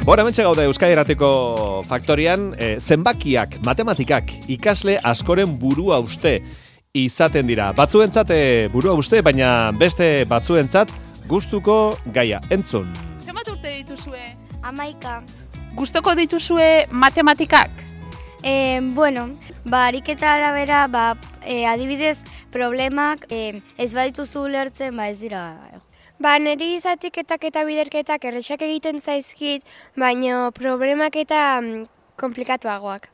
Bueno, hementxe gaude Euskadi Irratiko Faktorian, zenbakiak, matematikak, ikasle askoren burua uste izaten dira. Batzuentzat burua uste, baina beste batzuentzat gustuko gaia. Entzun. Zenbat urte dituzue? 11. Gustoko dituzue matematikak? Ariketa arabera, adibidez, problemak ez badituzu ulertzen, ez dira. Niri zatiketak eta biderketak errexak egiten zaizkit, baina problemak eta komplikatuagoak.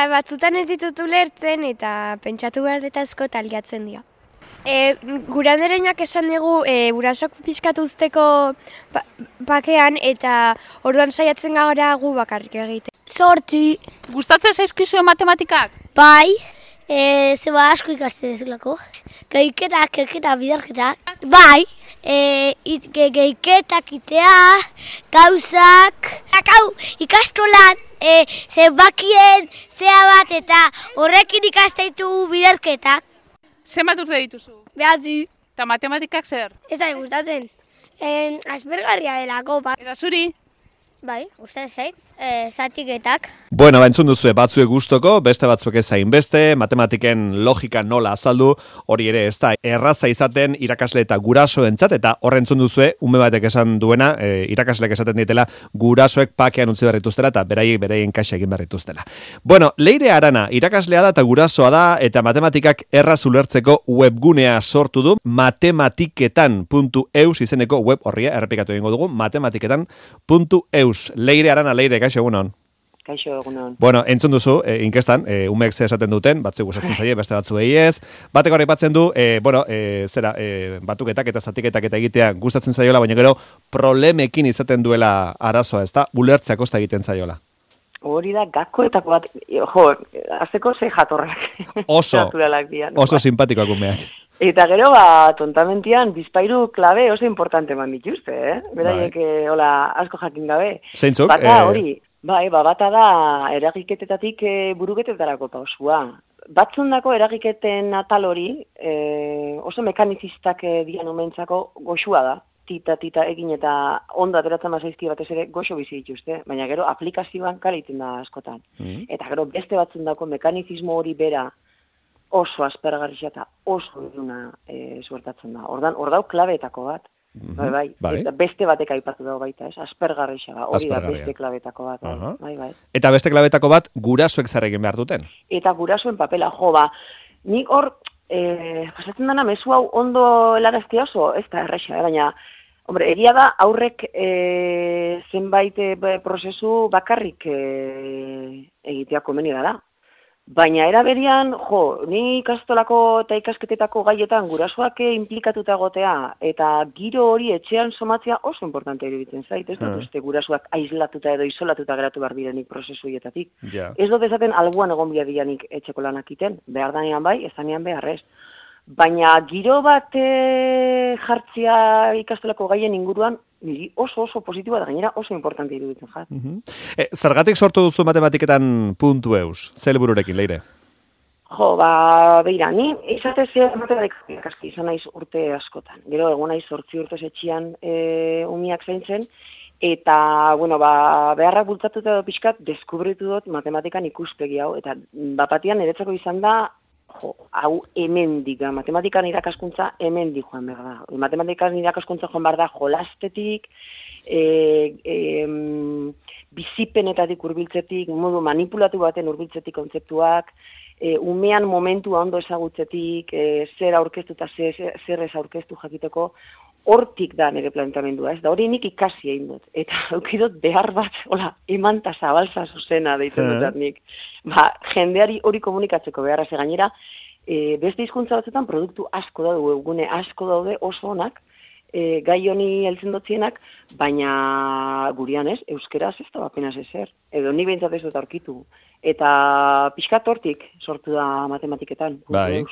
Batzutan ez ditut ulertzen eta pentsatu behar eta asko taliatzen dira. Gure anderenak esan dugu burasok pixkatu uzteko bakean eta orduan saiatzen gara gu bakarrik egiten. 8. Gustatzen zaizkizue matematikak? Bai, asko ikasten dezulako. Gehiketak, biderketak. Bai, gehiketak itea, gauzak. Ikastolan zenbakien zea bat eta horrekin ikasteitu biderketak. Zenbat urte dituzu? 9. Eta matematikak zer? Ez da gustatzen. Aspergarria delako. Eta zuri? Bai, gustatzen zait. Zatiketak. Bueno, entzun duzue batzue gustoko, beste batzuk ez zain beste, matematiken logika nola azaldu, hori ere ez da erraza izaten irakasle eta gurasoentzat, eta horren entzun duzue, ume batek esan duena, irakasleek esaten ditela, gurasoek pakean utzi berrituztela, eta beraien kaxa egin berrituztela. Bueno, Leire Arana, irakaslea da eta gurasoa da, eta matematikak erraz ulertzeko webgunea sortu du, matematiketan.eus izeneko web horria, errepikatu egingo dugu, matematiketan.eus. Leire Arana, Leire, kaixo egunon. Kaixo egunon. Bueno, entzun duzu, inkestan, umeek ze esaten duten, batzuk gustatzen zaie, beste batzuei ez. Batek hori aipatzen du, batuketak eta zatiketak eta egitea gustatzen zaiola, baina gero problemekin izaten duela arazoa, ezta? Ulertzea kosta egiten zaiola. Hori da, gakoetako bat, azteko ze jatorrak. Oso simpatikoak umeak. Eta gero, tontamentian, bizpairu klabe oso importante man dituzte, Beraiek, asko jakin gabe. Zeintzuk? Bata hori, bata da eragiketetatik buruketetarako pausua. Batzundako eragiketen atal hori, oso mekanizistak dian omentzako goxua da. Tita egin eta ondo ateratzen bazaizki batez ere goxo bizi dituzte, baina gero aplikazioan kaliten da askotan. Eta gero beste batzundako mekanizismo hori bera, oso aspergarria eta oso iluna suertatzen da. Hor dau klabeetako bat. Bai. Eta beste batek aipatu dago baita, aspergarria da. Hori da beste klabeetako bat. Bai. Eta beste klabeetako bat gurasoek zer egin behar duten? Eta gurasoen papela, nik hor pasatzen dena mezu hau ondo helaraztia oso, ez da erraixa, baina egia da aurrek zenbait prozesu bakarrik egitea komeni da. Baina eraberian, ni ikastolako eta ikasketetako gaietan gurasoak implikatuta egotea eta giro hori etxean somatzea oso importante iruditzen zait, ez dut uste gurasoak aislatuta edo isolatuta geratu behar direnik prozesu hietatik. Ez dut esaten albuan egon biadianik etxeko lanak iten, behar danean bai, ez danean beharrez. Baina giro bat jartzia ikastolako gaien inguruan, niri oso positiboa da gainera oso importante iruditzen jat. Zergatik sortu duzu matematiketan.eus? Zer helbururekin, Leire? Beira, ni izatez matematikak aski izan naiz urte askotan. Gero egon naiz 8 urte etxean umiak zaintzen, eta, beharrak bultzatuta edo pixkat, deskubritu dut matematikan ikuspegi hau, eta bapatian niretzako izan da, hau hemendik, matematikan irakaskuntza hemendik joan behar da. Matematikan irakaskuntza joan behar da jolastetik, bizipenetatik hurbiltzetik, modu manipulatu baten hurbiltzetik kontzeptuak, umean momentua ondo ezagutzetik, zer aurkeztu eta zer ez aurkeztu jakiteko, hortik da nire planteamendua, ez da hori nik ikasi egin dut. Eta eukidot behar bat, emanta zabalza zuzena deitzen dut nik. Jendeari hori komunikatzeko beharra ze gainera, beste hizkuntza batzuetan produktu asko daude, webgune asko daude oso onak, gai honi heltzen dotzienak, baina gurian ez, euskeraz ez da apenas ezer. Edo ni behintzat ez dut aurkitu. Eta pixkat hortik sortu da matematiketan. Bai.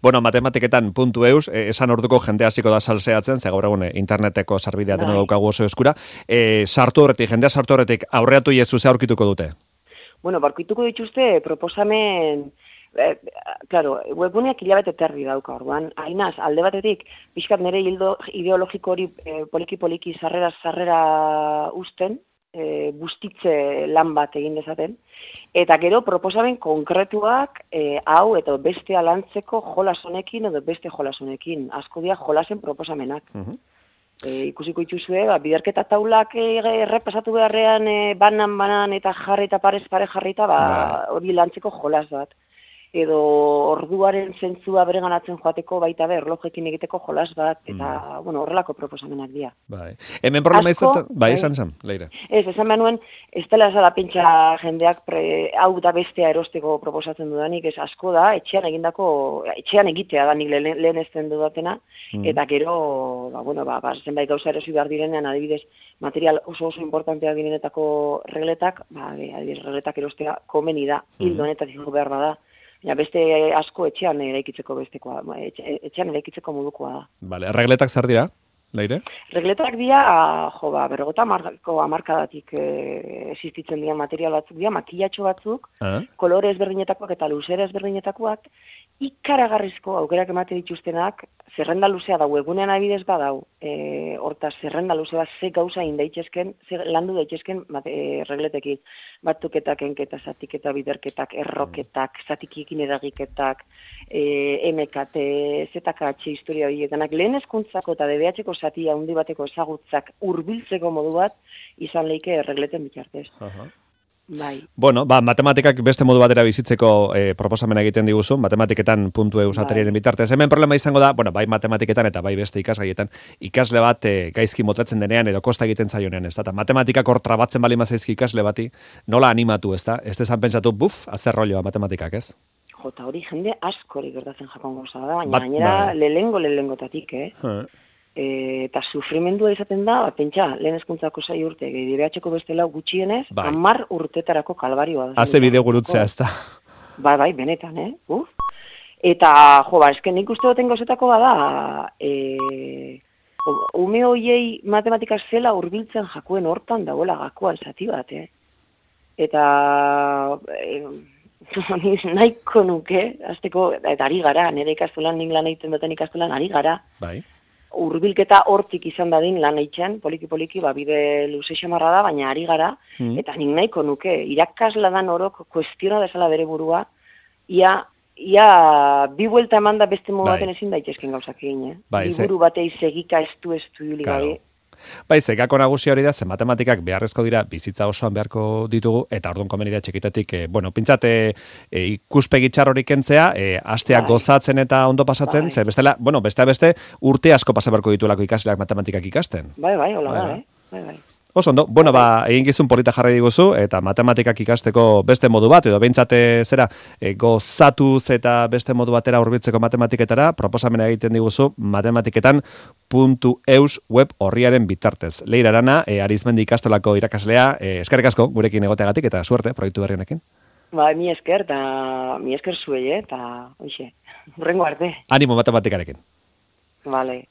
Bueno, matematiketan.eus, esan orduko jende hasiko da salseatzen, ze gaur egun interneteko sarbidea deno daukagu oso eskura. Jendea sartu horretik aurreatu jesu ze aurkituko dute? Bueno, aurkituko dituzte proposamen webguneak hilabete terdi dauka orduan. Ainaz, alde batetik, pixkat nire hildo ideologiko hori poliki-poliki sarrera usten, bustitze lan bat egin dezaten, eta gero proposamen konkretuak hau eta bestea lantzeko jolas honekin edo beste jolas honekin. Asko dira jolasen proposamenak. Ikusiko dituzue, biderketa taulak errepasatu beharrean banan eta jarri eta parez pare jarrita, hori lantzeko jolas bat. Edo orduaren zentzua bereganatzen joateko baita erlojekin egiteko jolas bat, eta, horrelako proposamenak dira. Bai. Hemen problema izaten, esan, Leire. Esan benuen, ez dela esala pentsa jendeak hau da bestea erosteko proposatzen dudanik, ez asko da, etxean egitea da nik lehen ezten dudatena, eta gero, zenbait gauza erosi behar direnean, adibidez, material oso importanteak direnetako regletak, adibidez, regletak erostea komeni da, hildo honetatik behar bada. Ja, beste asko etxean eraikitzeko etxean eraikitzeko modukoa da. Vale, regletak zer dira, Leire? Regletak dira, 50 hamarkadatik existitzen dira material batzuk dira, makilatxo batzuk, kolore ezberdinetakoak eta luzera ezberdinetakoak, ikaragarrizko aukerak emate dituztenak, zerrenda luzea dau, egunean abidez badau, hortaz zerrenda luzea ze gauza indaitezken, ze landu daitezken regletekin, batuketak, enketa, zatiketa, biderketak, erroketak, zatikiekin edagiketak, MKT, ZKH historia horietan, lehen hezkuntzako eta DBH-ko zati handi bateko ezagutzak hurbiltzeko modu bat izan leike regleten bitartez. Bai. Bueno, matematikak beste modu batera bizitzeko proposamena egiten diguzu, matematiketan .eu sateriaren bitartez. Hemen problema izango da, bai matematiketan eta bai beste ikasgaietan, ikasle bat gaizki motatzen denean edo kosta egiten zaionean, ez da? Ta matematikak hor trabatzen bali mazaizki ikasle bati, nola animatu, ez da? Ez dezan pentsatu, azer rolloa matematikak, ez? Jota, hori jende askori gertatzen jakon gauza da, baina gainera lehengotatik, eta sufrimendua izaten da, pentsa, lehen hezkuntzako 6 urte, DBH-ko beste lau gutxienez, 10 urtetarako kalbarioa. Haze bideo gurutzea, ez da? Bai, benetan, Eta, esken nik uste duten gauzetako bada, ume hoiei matematika zela hurbiltzen jakuen hortan dagoela gakoa zati bat, Eta, nahiko nuke, azteko, eta ari gara, nire ikastolan, nik lan egiten duten ikastolan, ari gara. Bai. Urbilketa hortik izan dadin lan eitzen, poliki, bide luze xamarra da, baina ari gara, eta nik nahiko nuke, irakasla dan orok kuestiona dezala bere burua, ia bi buelta eman da beste modu baten ezin daitezken gauzak egin, Liburu batei segika estu hili gabe. Gako nagusia hori da, ze matematikak beharrezko dira bizitza osoan beharko ditugu, eta orduan komeni da txikitatik, pintzate ikuspegi txarrorik kentzea, asteak gozatzen eta ondo pasatzen, ze bestela, beste urte asko pasa beharko ditulako ikasleak matematikak ikasten. Bai, hola da, bai. Oso ondo, egin gizun polita jarri diguzu, eta matematikak ikasteko beste modu bat, edo behintzate gozatuz eta beste modu batera hurbiltzeko matematiketara, proposamena egiten diguzu matematiketan .eus web horriaren bitartez. Leire Arana, Arizmendi ikastolako irakaslea, eskerrik asko gurekin egoteagatik eta suerte proiektu berri honekin. Mi esker zuei, eta hurrengo arte. Animo matematikarekin. Vale.